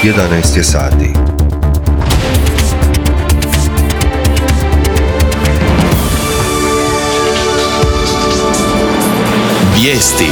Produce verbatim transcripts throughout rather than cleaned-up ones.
jedanaest je sati. Vijesti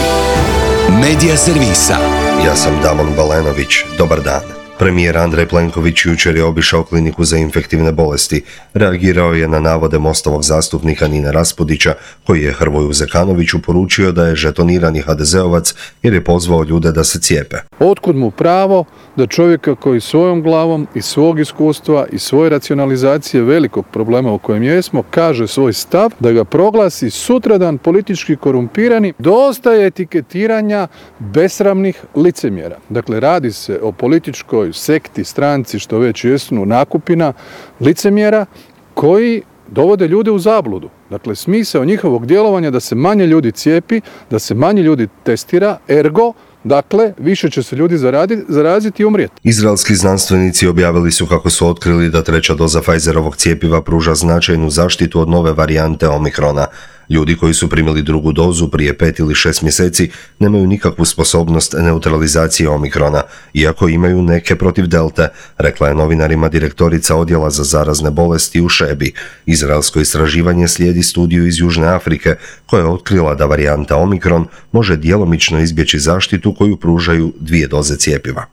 Medija servisa. Ja sam Damon Balenović. Dobar dan. Premijer Andrej Plenković jučer je obišao kliniku za infektivne bolesti. Reagirao je na navode Mostovog zastupnika Nine Raspudića, koji je Hrvoju Zekanoviću poručio da je žetonirani ha de zeovac jer je pozvao ljude da se cijepe. Otkud mu pravo da čovjeka koji svojom glavom i svog iskustva i svoje racionalizacije velikog problema u kojem jesmo kaže svoj stav, da ga proglasi sutradan politički korumpirani? Dosta je etiketiranja besramnih licemjera. Dakle, radi se o političkoj sekti, stranci, što već jesnu, nakupina licemjera koji dovode ljude u zabludu. Dakle, smisao njihovog djelovanja da se manje ljudi cijepi, da se manje ljudi testira, ergo, dakle, više će se ljudi zaraditi, zaraziti i umrijeti. Izraelski znanstvenici objavili su kako su otkrili da treća doza Pfizerovog cjepiva pruža značajnu zaštitu od nove varijante Omikrona. Ljudi koji su primili drugu dozu prije pet ili šest mjeseci nemaju nikakvu sposobnost neutralizacije Omikrona, iako imaju neke protiv Delte, rekla je novinarima direktorica odjela za zarazne bolesti u Šebi. Izraelsko istraživanje slijedi studiju iz Južne Afrike koja je otkrila da varijanta Omikron može djelomično izbjeći zaštitu koju pružaju dvije doze cjepiva.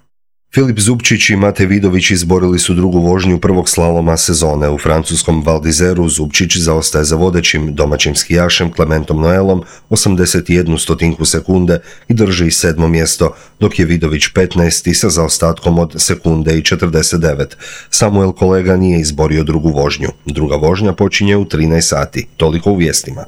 Filip Zubčić i Mate Vidović izborili su drugu vožnju prvog slaloma sezone. U francuskom Val d'Izeru Zubčić zaostaje za vodećim domaćim skijašem Clementom Noelom osamdeset jednu stotinku sekunde i drži sedmo mjesto, dok je Vidović petnaesti sa zaostatkom od sekunde i četrdeset devet. Samuel Kolega nije izborio drugu vožnju. Druga vožnja počinje u trinaest sati. Toliko u vijestima.